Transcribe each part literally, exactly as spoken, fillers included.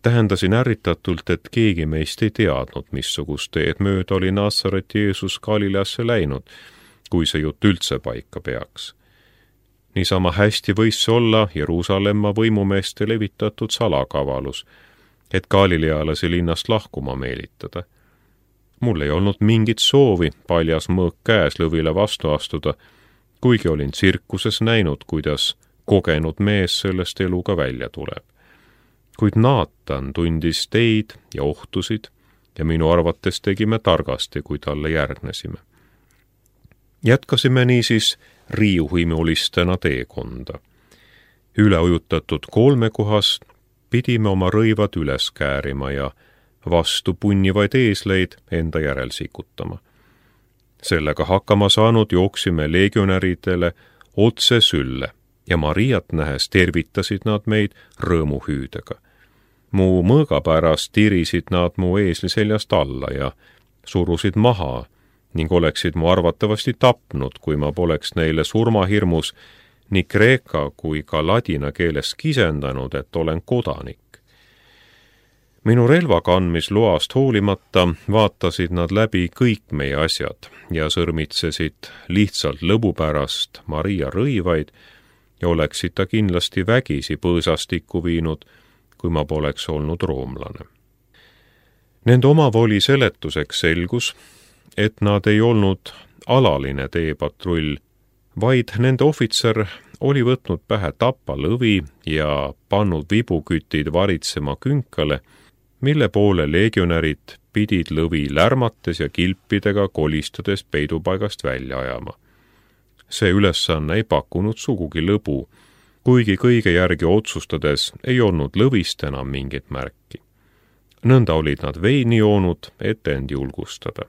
Tähendasin ärritatult, et keegi meist ei teadnud, missugust teed mööda oli Natsareti Jeesus Galileasse läinud, kui see jutt üldse paika peaks. Niisama hästi võis see olla Jeruusalemma võimumeeste levitatud salakavalus, et galilealasi linnast lahkuma meelitada. Mul ei olnud mingit soovi paljas mõõk käes lõvile vastu astuda, kuigi olin tsirkuses näinud, kuidas kogenud mees sellest eluga välja tuleb. Kuid Naatan tundis teid ja ohtusid ja minu arvates tegime targasti, kui talle järgnesime. Jätkasime niisiis riiuhimulistena teekonda. Üleujutatud kolmekohast pidime oma rõivad üles käärima ja vastu punnivaid eesleid enda järel sikutama. Sellega hakkama saanud jooksime legionäridele otse sülle ja Mariat nähes tervitasid nad meid rõõmuhüüdega. Mu mõõga pärast tirisid nad mu eesli seljast alla ja surusid maha ning oleksid mu arvatavasti tapnud, kui ma poleks neile surmahirmus nii kreeka kui ka ladina keeles kisendanud, et olen kodanik. Minu relva kandmisloast hoolimata vaatasid nad läbi kõik meie asjad ja sõrmitsesid lihtsalt lõbu pärast Maria rõivaid ja oleksid ta kindlasti vägisi põõsastikku viinud, kui ma poleks olnud roomlane. Nende omavoli seletuseks selgus, et nad ei olnud alaline teepatrull, vaid nende ohvitser oli võtnud pähe tappa lõvi ja pannud vibukütid varitsema künkale, mille poole legionärid pidid lõvi lärmates ja kilpidega kolistades peidupaigast välja ajama. See ülesanne ei pakkunud sugugi lõbu, kuigi kõige järgi otsustades ei olnud lõvist enam mingit märki. Nõnda olid nad veini joonud, et end julgustada.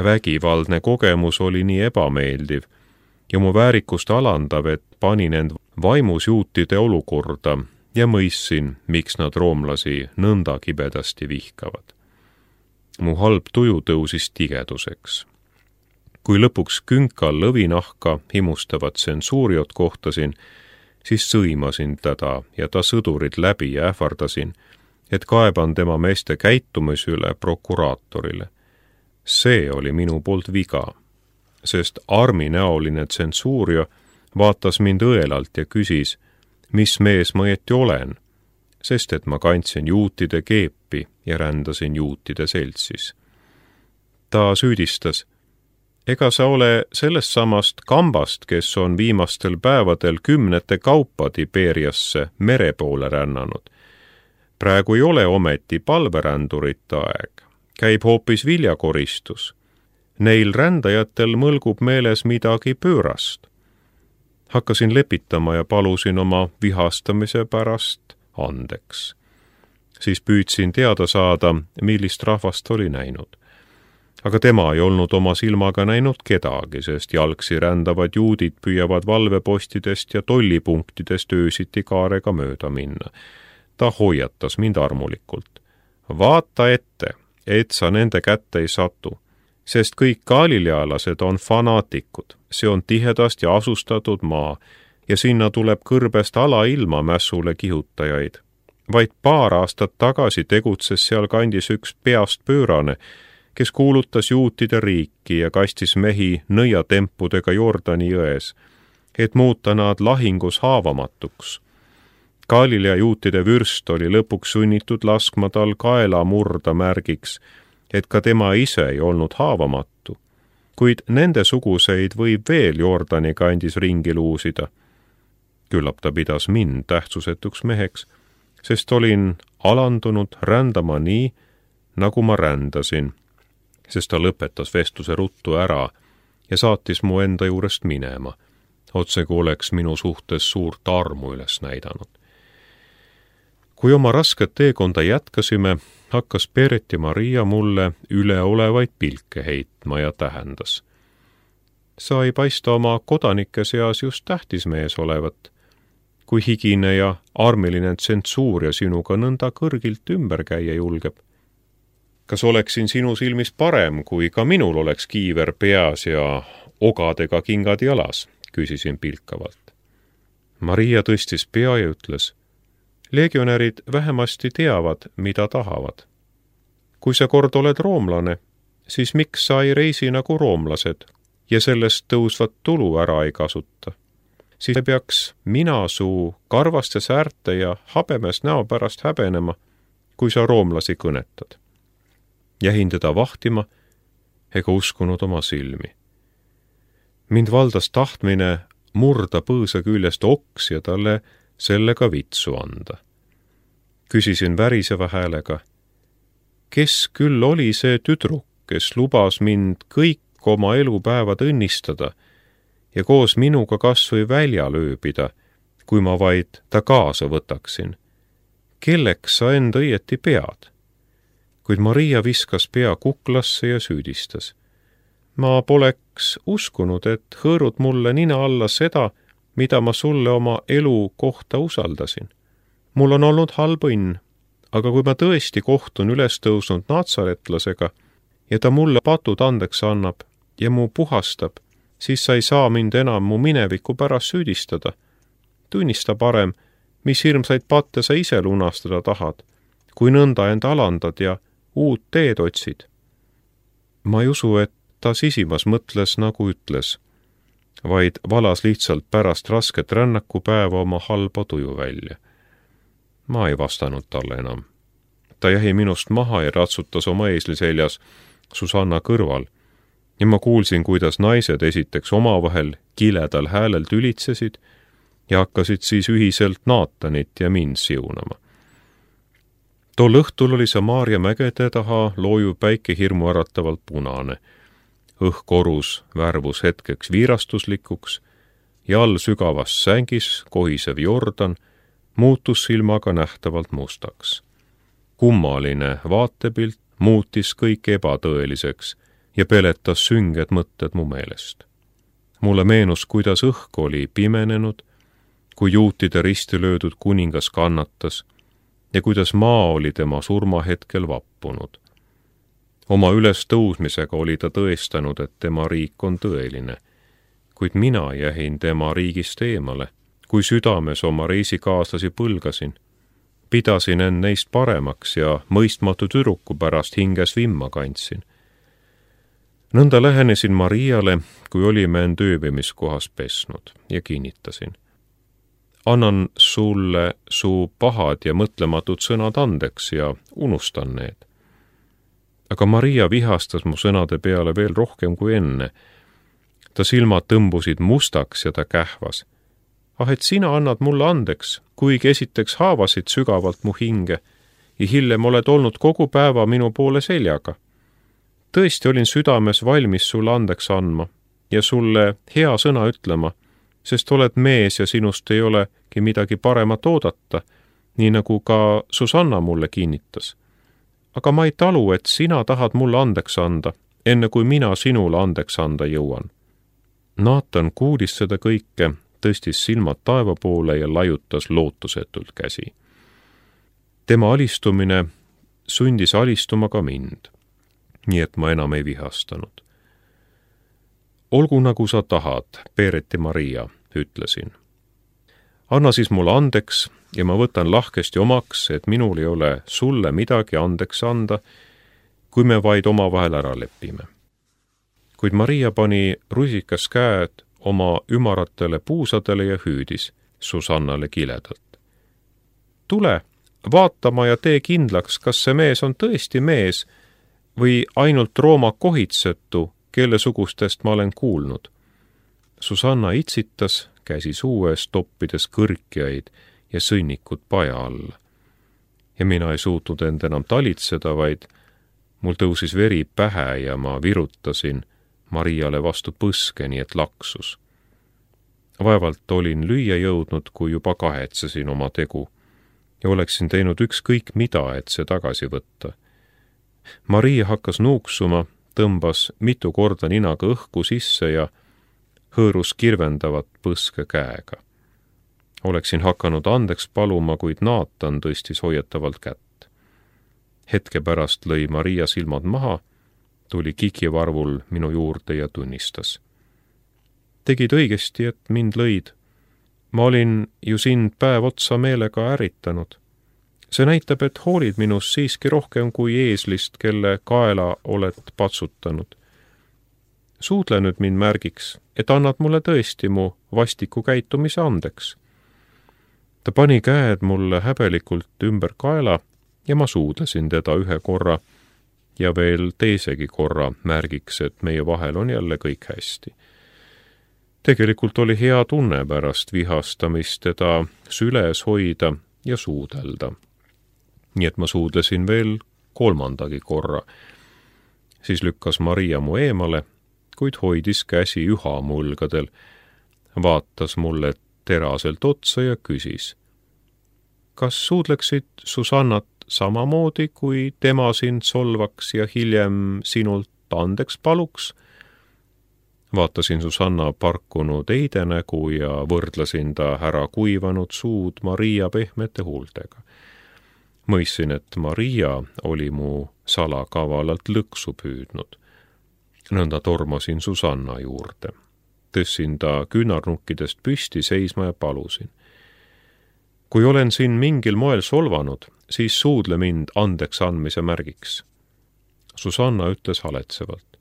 Vägivaldne kogemus oli nii ebameeldiv ja mu väärikust alandav, et panin end vaimusjuutide olukorda ja mõistsin, miks nad roomlasi nõnda kibedasti vihkavad. Mu halb tuju tõusis tigeduseks. Kui lõpuks künkal lõvinahka himustavat tsensuuriot kohtasin, siis sõimasin teda ja ta sõdurid läbi ja ähvardasin, et kaeban tema meeste käitumise üle prokuraatorile. See oli minu poolt viga, sest arminäoline tsensuurio vaatas mind õelalt ja küsis, mis mees ma õieti olen, sest et ma kandsin juutide keepi ja rändasin juutide seltsis. Ta süüdistas, ega sa ole sellest samast kambast, kes on viimastel päevadel kümnete kaupa Tiberiasse mere poole rännanud. Praegu ei ole ometi palverändurite aeg, käib hoopis viljakoristus. Neil rändajatel mõlgub meeles midagi pöörast. Hakkasin lepitama ja palusin oma vihastamise pärast andeks. Siis püüdsin teada saada, millist rahvast oli näinud. Aga tema ei olnud oma silmaga näinud kedagi, sest jalgsi rändavad juudid püüavad valvepostidest ja tollipunktidest öösiti kaarega mööda minna. Ta hoiatas mind armulikult. Vaata ette, et sa nende kätte ei satu, sest kõik galilealased on fanaatikud. See on tihedast ja asustatud maa ja sinna tuleb kõrbest alailma mässule kihutajaid. Vaid paar aastat tagasi tegutses seal kandis üks peast pöörane, kes kuulutas juutide riiki ja kastis mehi nõiatempudega Jordani jões, et muuta nad lahingus haavamatuks. Galilea juutide vürst oli lõpuks sunnitud laskma tal kaela murda märgiks, et ka tema ise ei olnud haavamatu, kuid nende suguseid võib veel Jordani kandis ringi luusida. Küllap ta pidas mind tähtsusetuks meheks, sest olin alandunud rändama nii, nagu ma rändasin, sest ta lõpetas vestluse ruttu ära ja saatis mu enda juurest minema, otsegu oleks minu suhtes suurt armu üles näidanud. Kui oma rasket teekonda jätkasime, hakkas Peeret ja Maria mulle üleolevaid pilke heitma ja tähendas. Sa ei paista oma kodanike seas just tähtis mees olevat, kui higine ja armiline tsensuur ja sinuga nõnda kõrgilt ümber käia julgeb. Kas oleksin sinu silmis parem, kui ka minul oleks kiiver peas ja ogadega kingad jalas, küsisin pilkavalt. Maria tõstis pea ja ütles, Legionärid vähemasti teavad, mida tahavad. Kui sa kord oled roomlane, siis miks sa ei reisi nagu roomlased ja sellest tõusvat tulu ära ei kasuta? Siis ei peaks mina su karvaste säärte ja habemes näo pärast häbenema, kui sa roomlasi kõnetad. Jähin teda vahtima ega uskunud oma silmi. Mind valdas tahtmine murda põõsa küljest oks ja talle sellega vitsu anda. Küsisin väriseva häälega, kes küll oli see tüdruk, kes lubas mind kõik oma elupäevad õnnistada ja koos minuga kas või väljal ööbida, kui ma vaid ta kaasa võtaksin. Kelleks sa end õieti pead? Kuid Maria viskas pea kuklasse ja süüdistas. Ma poleks uskunud, et hõõrud mulle nina alla seda, mida ma sulle oma elu kohta usaldasin. Mul on olnud halb õnn, aga kui ma tõesti kohtun üles tõusnud natsaretlasega ja ta mulle patud andeks annab ja mu puhastab, siis sa ei saa mind enam mu mineviku pärast süüdistada. Tunnista parem, mis hirmsaid patte sa ise lunastada tahad, kui nõnda end alandad ja uut teed otsid. Ma ei usu, et ta sisimas mõtles nagu ütles, vaid valas lihtsalt pärast rasket rännakupäeva oma halba tuju välja. Ma ei vastanud talle enam. Ta jäi minust maha ja ratsutas oma eesli seljas Susanna kõrval ja ma kuulsin, kuidas naised esiteks omavahel kiledal häälel tülitsesid ja hakkasid siis ühiselt Naatanit ja mind siunama. Tol õhtul oli Samaaria mägede taha loojuv päike hirmu äratavalt punane. Õhkorus värvus hetkeks viirastuslikuks ja all sügavas sängis kohisev Jordan muutus silmaga nähtavalt mustaks. Kummaline vaatepilt muutis kõik ebatõeliseks ja peletas sünged mõtted mu meelest. Mulle meenus, kuidas õhk oli pimenenud, kui juutide risti löödud kuningas kannatas ja kuidas maa oli tema surmahetkel vappunud. Oma ülestõusmisega oli ta tõestanud, et tema riik on tõeline, kuid mina jähin tema riigist eemale, kui südames oma reisikaaslasi põlgasin. Pidasin end neist paremaks ja mõistmatu tüdruku pärast hinges vimma kandsin. Nõnda lähenesin Mariale, kui olime end ööbimiskohas pesnud ja kinnitasin. Annan sulle su pahad ja mõtlematud sõnad andeks ja unustan need. Aga Maria vihastas mu sõnade peale veel rohkem kui enne. Ta silmad tõmbusid mustaks ja ta kähvas. Ah, et sina annad mulle andeks, kuigi esiteks haavasid sügavalt mu hinge ja hiljem oled olnud kogu päeva minu poole seljaga. Tõesti olin südames valmis sulle andeks andma ja sulle hea sõna ütlema, sest oled mees ja sinust ei olegi midagi paremat oodata, nii nagu ka Susanna mulle kinnitas. Aga ma ei talu, et sina tahad mulle andeks anda, enne kui mina sinule andeks anda jõuan. Naatan kuulis seda kõike, tõstis silmad taeva poole ja laiutas lootusetult käsi. Tema alistumine sundis alistuma ka mind, nii et ma enam ei vihastanud. Olgu nagu sa tahad, Peereti Maria, ütlesin. Anna siis mulle andeks ja ma võtan lahkesti omaks, et minul ei ole sulle midagi andeks anda, kui me vaid omavahel ära lepime. Kuid Maria pani rusikas käed oma ümaratele puusadele ja hüüdis Susannale kiledalt. Tule, vaatama ja tee kindlaks, kas see mees on tõesti mees või ainult Rooma kohitsetu, kelle sugustest ma olen kuulnud. Susanna itsitas, käsi suu ees toppides kõrkjaid ja sõnnikud paja alla. Ja mina ei suutnud end enam talitseda, vaid mul tõusis veri pähe ja ma virutasin Mariale vastu põske, nii et laksus. Vaevalt olin lüüa jõudnud, kui juba kahetsesin oma tegu ja oleksin teinud ükskõik mida, et see tagasi võtta. Maria hakkas nuuksuma, tõmbas mitu korda ninaga õhku sisse ja hõõrus kirvendavat põske käega. Oleksin hakanud andeks paluma, kuid Naatan tõstis hoiatavalt kätt. Hetke pärast lõi Maria silmad maha, tuli kikivarvul minu juurde ja tunnistas. Tegid õigesti, et mind lõid. Ma olin ju sind päev otsa meelega ärritanud. See näitab, et hoolid minust siiski rohkem kui eeslist, kelle kaela oled patsutanud. Suudle nüüd mind märgiks, et annad mulle tõesti mu vastiku käitumise andeks. Ta pani käed mulle häbelikult ümber kaela ja ma suudlesin teda ühe korra ja veel teisegi korra märgiks, et meie vahel on jälle kõik hästi. Tegelikult oli hea tunne pärast vihastamist teda süles hoida ja suudelda. Nii et ma suudlesin veel kolmandagi korra. Siis lükkas Maria mu eemale, kuid hoidis käsi üha mu õlgadel, vaatas mulle teraselt otsa ja küsis. Kas suudleksid Susannat samamoodi, kui tema sind solvaks ja hiljem sinult andeks paluks? Vaatasin Susanna parkunud eidenägu ja võrdlesin ta ära kuivanud suud Maria pehmete huultega. Mõistsin, et Maria oli mu salakavalalt lõksu püüdnud. Nõnda tormasin Susanna juurde. Tõssin ta küünarnukkidest püsti seisma ja palusin. Kui olen siin mingil moel solvanud, siis suudle mind andeks andmise märgiks. Susanna ütles haletsevalt.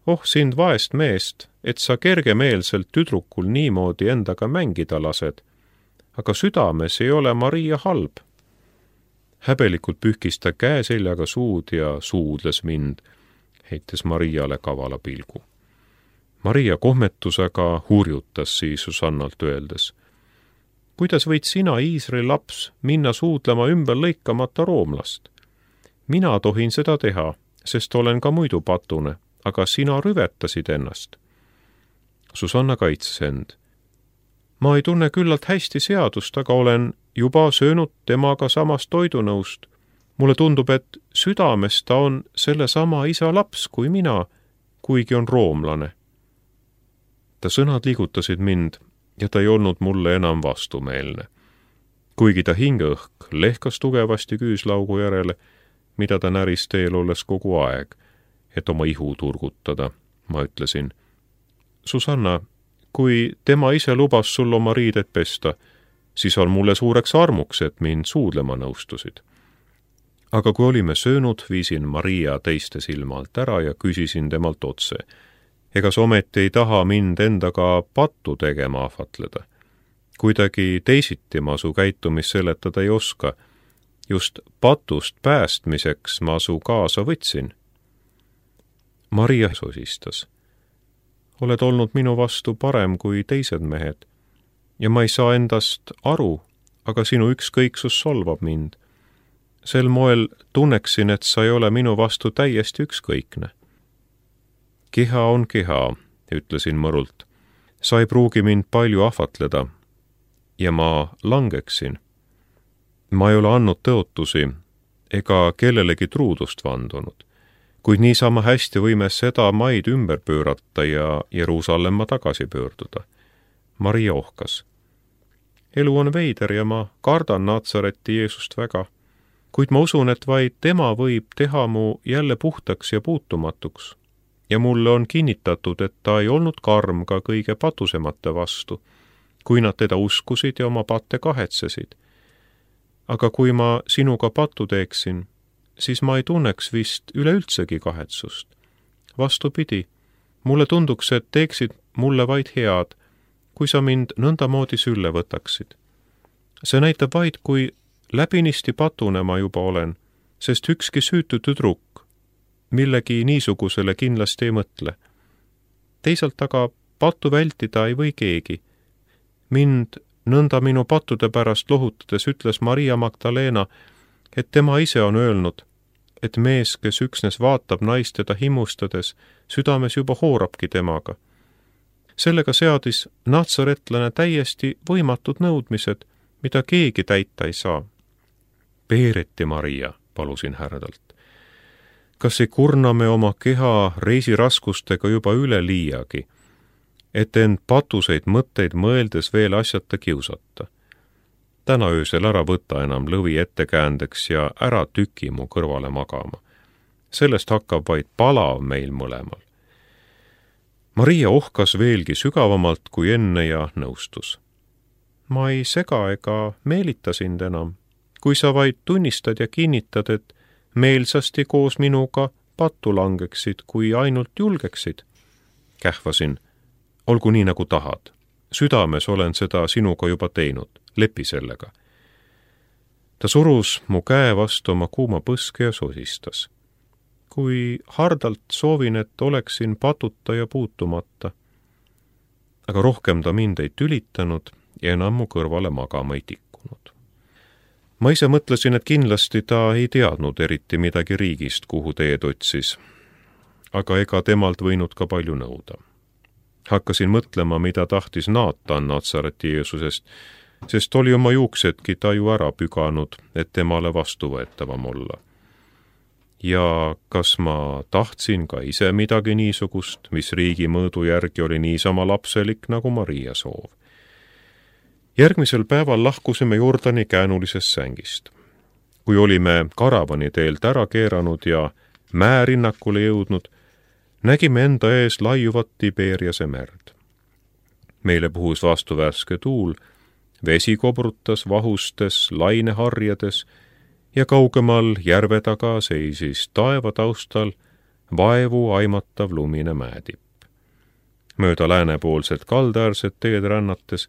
Oh, sind vaest meest, et sa kergemeelselt tüdrukul niimoodi endaga mängida lased, aga südames ei ole Maria halb. Häbelikult pühkis ta käe seljaga suud ja suudles mind, heites Mariale kavala pilgu. Maria kohmetusega hurjutas siis Susannalt öeldes. Kuidas võid sina, Iisraeli laps, minna suudlema ümber lõikamata roomlast? Mina tohin seda teha, sest olen ka muidu patune, aga sina rüvetasid ennast. Susanna kaitses end. Ma ei tunne küllalt hästi seadust, aga olen juba söönud temaga samast toidunõust. Mulle tundub, et südames ta on sellesama isa laps kui mina, kuigi on roomlane. Ta sõnad liigutasid mind ja ta ei olnud mulle enam vastumeelne. Kuigi ta hingeõhk lehkas tugevasti küüslaugu järele, mida ta näris teel olles kogu aeg, et oma ihu turgutada, ma ütlesin. Susanna, kui tema ise lubas sul oma riided pesta, siis on mulle suureks armuks, et mind suudlema nõustusid. Aga kui olime söönud, viisin Maria teiste silma alt ära ja küsisin temalt otse. Ega sa ometi ei taha mind endaga pattu tegema ahvatleda. Kuidagi teisiti ma su käitumist seletada ei oska. Just patust päästmiseks ma su kaasa võtsin. Maria sosistas. Oled olnud minu vastu parem kui teised mehed ja ma ei saa endast aru, aga sinu ükskõiksus solvab mind. Sel moel tunneksin, et sa ei ole minu vastu täiesti ükskõikne. Keha on keha, ütlesin mõrult. Sa ei pruugi mind palju ahvatleda ja ma langeksin. Ma ei ole andnud tõotusi ega kellelegi truudust vandunud, kuid niisama hästi võime seda maid ümber pöörata ja Jeruusalemma tagasi pöörduda. Maria ohkas. Elu on veider ja ma kardan Natsareti Jeesust väga, kuid ma usun, et vaid tema võib teha mu jälle puhtaks ja puutumatuks. Ja mulle on kinnitatud, et ta ei olnud karm ka kõige patusemate vastu, kui nad teda uskusid ja oma patte kahetsesid. Aga kui ma sinuga pattu teeksin, siis ma ei tunneks vist üleüldsegi kahetsust. Vastupidi, mulle tunduks, et teeksid mulle vaid head, kui sa mind nõndamoodi sülle võtaksid. See näitab vaid, kui läbinisti patune ma juba olen, sest ükski süütu tüdruk millegi niisugusele kindlasti ei mõtle. Teisalt aga pattu vältida ei või keegi. Mind nõnda minu pattude pärast lohutades ütles Maria Magdalena, et tema ise on öelnud, et mees, kes üksnes vaatab naist teda himustades, südames juba hoorabki temaga. Sellega seadis natsaretlane täiesti võimatud nõudmised, mida keegi täita ei saa. Peereti Maria, palusin härdalt. Kas ei kurna me oma keha reisiraskustega juba üle liiagi, et end patuseid mõtteid mõeldes veel asjata kiusata? Täna öösel ära võta enam lõvi ettekäändeks ja ära tüki mu kõrvale magama. Sellest hakkab vaid palav meil mõlemal. Maria ohkas veelgi sügavamalt kui enne ja nõustus. Ma ei sega ega meelita sind enam, kui sa vaid tunnistad ja kinnitad, et meelsasti koos minuga pattu langeksid, kui ainult julgeksid. Kähvasin, olgu nii nagu tahad. Südames olen seda sinuga juba teinud, lepi sellega. Ta surus mu käe vastu oma kuuma põske ja sosistas. Kui hardalt soovin, et oleksin patuta ja puutumata. Aga rohkem ta mind ei tülitanud ja enam mu kõrvale magama ei tikkunud. Ma ise mõtlesin, et kindlasti ta ei teadnud eriti midagi riigist, kuhu teed otsis. Aga ega temalt võinud ka palju nõuda. Hakkasin mõtlema, mida tahtis Naatan Natsareti Jeesusest, sest oli oma juuksedki ta ju ära püganud, et temale vastuvõetavam olla. Ja kas ma tahtsin ka ise midagi niisugust, mis riigi mõõdu järgi oli niisama lapselik nagu Maria soov. Järgmisel päeval lahkusime Jordani käänulisest sängist. Kui olime karavani teelt ära keeranud ja mäerinnakule jõudnud, nägime enda ees laiuvat Tiberiase merd. Meile puhus vastu värske tuul, vesi kobrutas vahustes, laineharjades ja kaugemal järve taga seisis taeva taustal vaevu aimatav lumine mäetipp. Mööda läänepoolset kaldaäärset teed rännates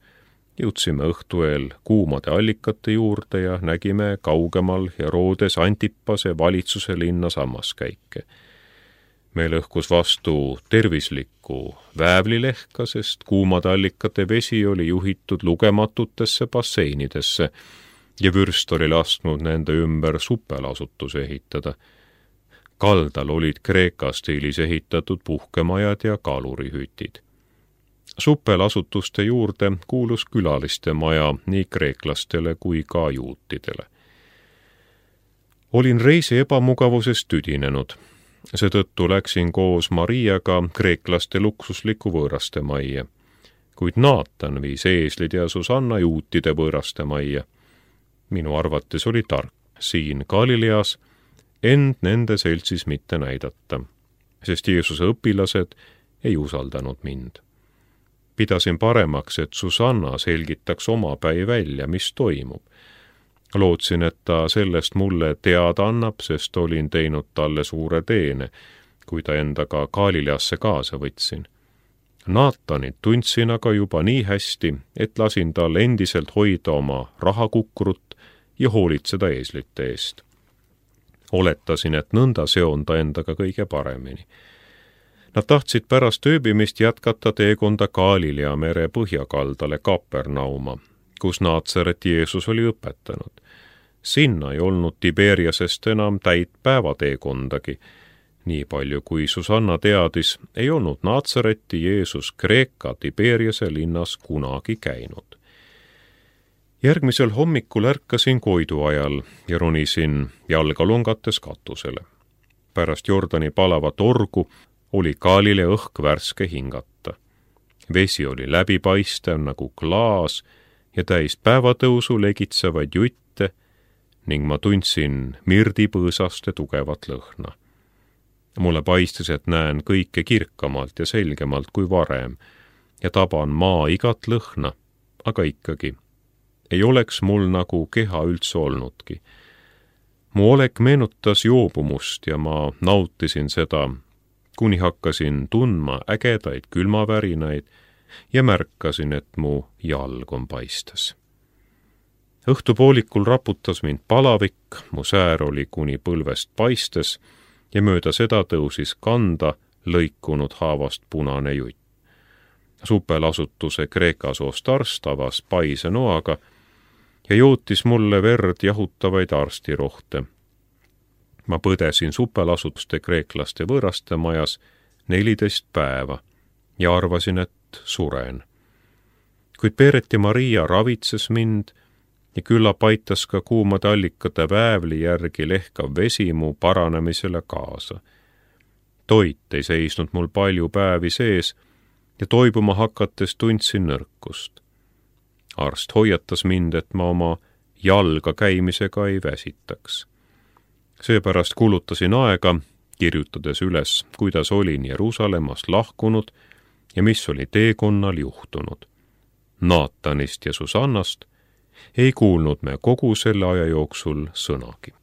jõudsime õhtueel kuumade allikate juurde ja nägime kaugemal Herodes Antipase valitsuse linna sammaskäike. Meil õhkus vastu tervislikku väävlilehka, sest kuumade allikate vesi oli juhitud lugematutesse basseinidesse ja vürst oli lasknud nende ümber supelasutuse ehitada. Kaldal olid Kreeka stiilis ehitatud puhkemajad ja kalurihütid. Supelasutuste juurde kuulus külaliste maja nii kreeklastele kui ka juutidele. Olin reisi ebamugavusest tüdinenud. Seetõttu läksin koos Mariaga kreeklaste luksusliku võõraste majja, kuid Naatan viis eeslid ja Susanna juutide võõraste majja. Minu arvates oli tark siin Galileas end nende seltsis mitte näidata, sest Jeesuse õpilased ei usaldanud mind. Pidasin paremaks, et Susanna selgitaks omapäi välja, mis toimub. Lootsin, et ta sellest mulle teada annab, sest olin teinud talle suure teene, kui ta endaga Galileasse kaasa võtsin. Naatanit tundsin aga juba nii hästi, et lasin tal endiselt hoida oma rahakukrut ja hoolitseda eeslite eest. Oletasin, et nõnda seon ta endaga kõige paremini. Nad tahtsid pärast ööbimist jätkata teekonda Galilea mere põhjakaldale Kapernauma, kus Natsareti Jeesus oli õpetanud. Sinna ei olnud Tiberiasest enam täit päevateekondagi. Nii palju kui Susanna teadis, ei olnud Natsareti Jeesus Kreeka Tiberiase linnas kunagi käinud. Järgmisel hommikul ärkasin koidu ajal ja ronisin jalga longates katusele. Pärast Jordani palavat orgu oli Galilea õhk värske hingata. Vesi oli läbipaistev nagu klaas ja täis päevatõusu legitsevaid jutte ning ma tundsin mirdipõõsaste tugevat lõhna. Mulle paistis, et näen kõike kirkamalt ja selgemalt kui varem ja taban maa igat lõhna, aga ikkagi ei oleks mul nagu keha üldse olnudki. Mu olek meenutas joobumust ja ma nautisin seda, kuni hakkasin tundma ägedaid külmavärinaid ja märkasin, et mu jalg on paistes. Õhtupoolikul raputas mind palavik, mu säär oli kuni põlvest paistes ja mööda seda tõusis kanda lõikunud haavast punane jutt. Supelasutuse Kreeka soost arst avas paise noaga ja jootis mulle verd jahutavaid arstirohte. Ma põdesin supelasutuste kreeklaste võõraste majas neliteist päeva ja arvasin, et suren. Kuid Peeret ja Maria ravitses mind ja küllap aitas ka kuumade allikate väävli järgi lehkav vesi mu paranemisele kaasa. Toit ei seisnud mul palju päevi sees ja toibuma hakates tundsin nõrkust. Arst hoiatas mind, et ma oma jalga käimisega ei väsitaks. Seepärast kulutasin aega, kirjutades üles, kuidas olin Jeruusalemmast lahkunud ja mis oli teekonnal juhtunud. Naatanist ja Susannast ei kuulnud me kogu selle aja jooksul sõnagi.